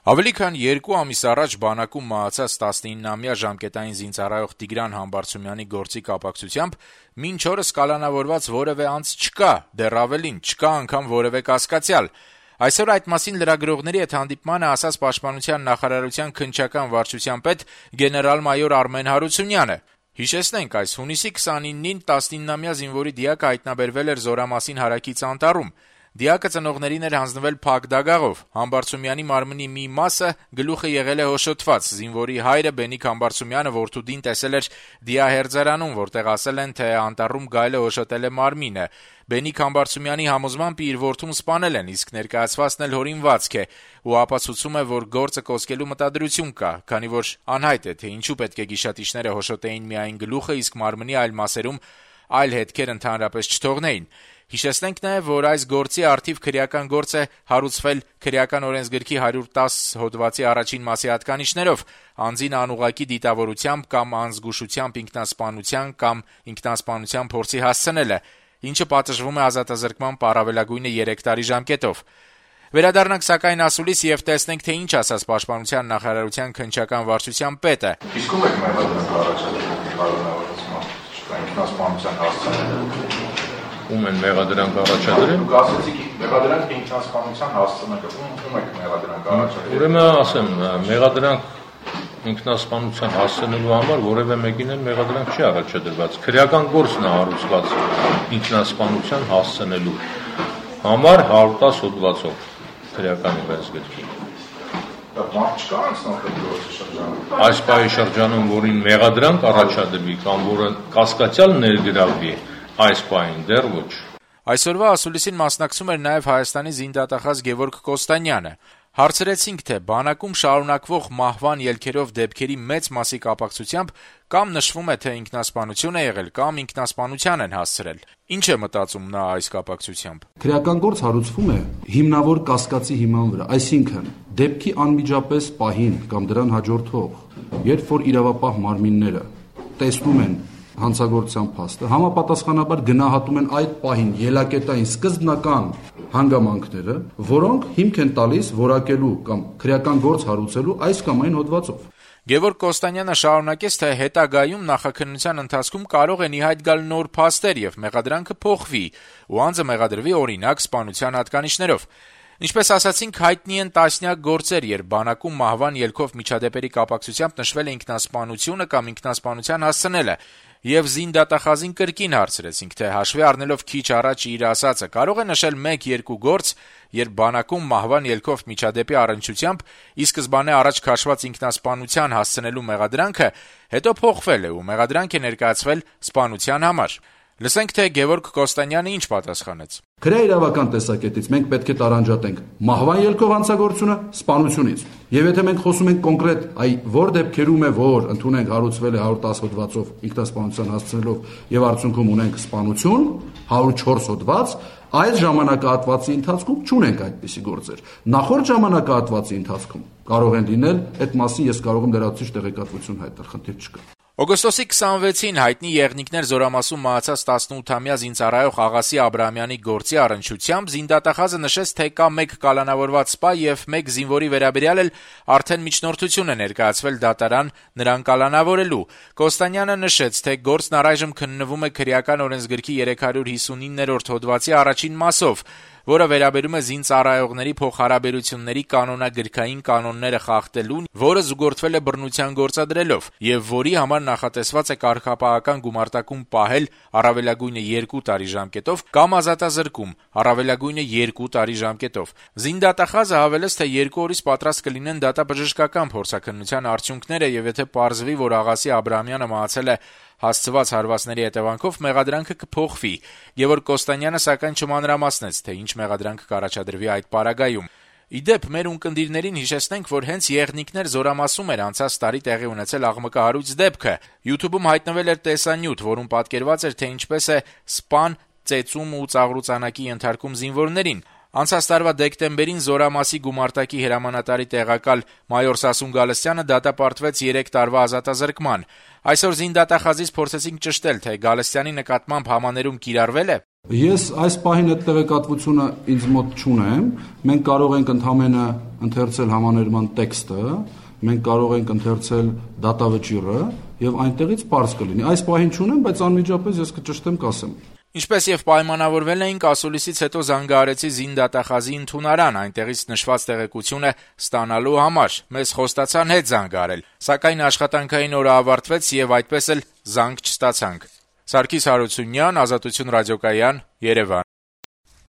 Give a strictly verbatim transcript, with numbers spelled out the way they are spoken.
Ավելի քան երկու ամիս առաջ բանակում մահացած տասնիննամյա ժամկետային զինծառայող Տիգրան Համբարձումյանի գործի կապակցությամբ մինչ օրս կալանավորված որևէ անձ չկա, դեռ ավելին, չկա անգամ որևէ կասկածյալ։ Այսօր այդ մասին լրագրողների հետ հանդիպմանը ասաց Պաշտպանության նախարարության քննչական վարչության պետ գեներալ-մայոր Արմեն Հարությունյանը։ Հիշեցնենք, այս հունիսի քսանինին տասնիննամյա զինվորի դիակը հայտնաբերվել էր Զորամասին հարակից անտառում։ Դիակը ծնողներին էր հանձնվել փակ դագաղով։ Համբարձումյանի մարմնի մի մասը գլուխը եղել է հոշոտված։ Զինվորի հայրը Բենիկ Համբարձումյանը որդուդին տեսել էր դիահերձարանում, որտեղ ասել են, թե անտառում գայլը հոշոտել է մարմինը։ Բենիկ Համբարձումյանի համոզմամբ իր որդուն սպանել են, իսկ ներկայացվածն էլ հորինվածք է ու ապացուցում է, որ գործը կոծկելու մտադրություն կա, քանի որ անհայտ է, թե ինչու պետք է գիշատիչները հոշոտեին միայն գլուխը, իսկ մարմնի այլ մասերում այլ հետքեր ընդհանրապես չթողնեին։ Հիշեցնենք նաև, որ այս գործի առթիվ քրեական գործ է հարուցվել քրեական օրենսգրքի հարյուր տասը հոդվածի առաջին մասի հատկանիշներով՝ անձին անուղղակի դիտավորությամբ կամ անզգուշությամբ ինքնասպանության կամ ինքնասպանության փորձի հասցնելը, ինչը պատժվում է ազատազրկման առավելագույնը երեք տարի ժամկետով։ Վերադառնանք սակայն ասուլիս եւ տեսնենք, թե ինչ ասաց Պաշտպանության նախարարության քննչական վարչության պետը։ Իսկ ո՞վ եք մեղադրում կառաջադրել ինքնասպանության հասցնելը։ Ում են մեղադրանք առաջադրել։ Դուք ասացիք մեղադրանք ինքնասպանության հասցնելը, ում եք մեղադրանք առաջադրել։ Ուրեմն ասեմ, մեղադրանք ինքնասպանության հասցնելու համար որևէ մեկին էլ մեղադրանք չի առաջադրված։ Քրեական գործն է հարուցված ինքնասպանության հասցնելու համար հարյուր տասը հոդվածով քրեական օրենսգրքի։ Դա մարդ չկա անցնող գործի շրջանում։ Այս պահի շրջանում, որին մեղադրանք առաջադրվի կամ որը կասկածյալ ներգրավվի, այս պահին դեռ ոչ։ Այսօրվա ասուլիսին մասնակցում էր նաև Հայաստանի զինդատախազ Գևորգ Կոստանյանը։ Հարցրեցինք, թե բանակում շարունակվող մահվան ելքերով դեպքերի մեծ մասի կապակցությամբ կամ նշվում է, թե ինքնասպանություն է եղել, կամ ինքնասպանության են հասցրել։ Ինչ է մտածում նա այս կապակցությամբ։ Քրեական գործ հարուցվում է հիմնավոր կասկածի հիման վրա, այսինքն դեպքի անմիջապես պահին կամ դրան հաջորդող, երբ որ իրավապահ մարմինները տեսնում են հանցագործության փաստը, համապատասխանաբար գնահատում են այդ պահին ելակետային սկզբնական հանգամանքները, որոնք հիմք են տալիս որակելու կամ քրեական գործ հարուցելու այս կամ այն հոդվածով։ Գևորգ Կոստանյանը շարունակեց, թե հետագայում նախաքննության ընթացքում կարող են ի հայտ գալ նոր փաստեր եւ մեղադրանքը փոխվի, ու անձը մեղադրվի օրինակ սպանության հատկանիշներով։ Ինչպես ասացինք, հայտնի են տասնյակ գործեր, երբ բանակում մահվան ելքով միջադեպերի կապակցությամբ նշվել է ինքնասպանությունը կամ ինքնասպանության հասցնելը, եւ զինդատախազին կրկին հարցրեցինք, թե հաշվի առնելով քիչ առաջ իր ասածը, կարող է նշել մեկ-երկու գործ, երբ բանակում մահվան ելքով միջադեպի առնչությամբ ի սկզբանե առաջ քաշված ինքնասպանության հասցնելու մեղադրանքը հետո փոխվել է ու մեղադրանք է ներկայացվել սպանության համար։ Լսենք, թե Գևորգ Կոստանյանը ինչ պատասխանեց։ Քրեաիրավական տեսակետից մենք պետք է տարանջատենք մահվան ելքով հանցագործությունը սպանությունից։ Եվ եթե մենք խոսում ենք կոնկրետ, այ որ դեպքերում է, որ ընդունենք հարուցվել է հարյուր տասը հոդվածով ինքնասպանության հասցնելով եւ արդյունքում ունենք սպանություն, հարյուր չորս հոդված, այս ժամանակահատվածի ընթացքում չունենք այդպիսի գործեր։ Նախորդ ժամանակահատվածի ընթացքում կարող են լինել, այդ մասին ես կարող եմ լրացուցիչ տեղեկատվություն հայտնել, խնդիր չկա։ Օգոստոսի քսանվեցին հայտնի եղնիկներ Զորամասում մահացած տասնութամյա զինծառայող Աղասի Աբրահամյանի գործի առնչությամբ զինդատախազը նշեց, թե կա մեկ կալանավորված սպա եւ մեկ զինվորի վերաբերյալ էլ արդեն միջնորդություն է ներկայացվել դատարան նրան կալանավորելու։ Կոստանյանը նշեց, թե գործն առայժմ քննվում է քրեական օրենսգրքի երեք հարյուր հիսունիններորդ հոդվածի առաջին մասով, որը վերաբերում է զինծառայողների փոխհարաբերությունների կանոնագրքային կանոնները խախտելուն, որը զուգորդվել է բռնության գործադրելով, եւ որի համար նախատեսված է կարգապահական գումարտակում պահել առավելագույնը երկու տարի ժամկետով կամ ազատազրկում առավելագույնը երկու տարի ժամկետով։ Զինդատախազը հավելեց, թե երկու օրից պատրաստ կլինեն դատաբժշկական փորձաքննության արդյունքները, եւ եթե պարզվի, որ Աղասի Աբրահամյանը մահացել է հասցված հարվածների հետևանքով, մեղադրանքը կփոխվի։ Գևորգ Կոստանյանը սակայն չմանրամասնեց, թե ինչ մեղադրանք կառաջադրվի այդ պարագայում։ Իդեպ, մեր ունկնդիրներին հիշեցնենք, որ հենց եղնիկներ Զորամասում էր անցած տարի տեղի ունեցել աղմկահարույց դեպքը։ YouTube-ում հայտնվել էր տեսանյութ, որում պատկերված էր, թե ինչպես է սպան ծեծում ու ծաղրուծանակի ենթարկում զինվորներին։ Անցած տարվա դեկտեմբերին Զորամասի գումարտակի հրամանատարի տեղակալ մայոր Սասուն Գալստյանը դատապարտվեց երեք տարվա ազատազրկման։ Այսօր զինդատախազից փորձեցինք ճշտել, թե Գալստյանի նկատմամբ համաներում կիրառվել է։ Ես այս պահին այդ տեղեկատվությունը ինձ մոտ չունեմ, մենք կարող ենք ընդհանրապես ընթերցել համաներման տեքստը, մենք կարող ենք ընթերցել դատավճիռը եւ այնտեղից պարզ կլինի։ Այս պահին չունեմ, բայց անմիջապես ես կճշտեմ, կասեմ։ Ինչպես եւ պայմանավորվել էինք, ասուլիսից հետո զանգահարեցի զինդատախազի ընդունարան, այնտեղից նշված տեղեկությունը ստանալու համար։ Մեզ խոստացան հետ զանգահարել, սակայն աշխատանքային օրը ավարտվեց եւ այդպես էլ զանգ չստացանք։ Սարգիս Հարությունյան, Ազատություն ռադիոկայան, Երևան։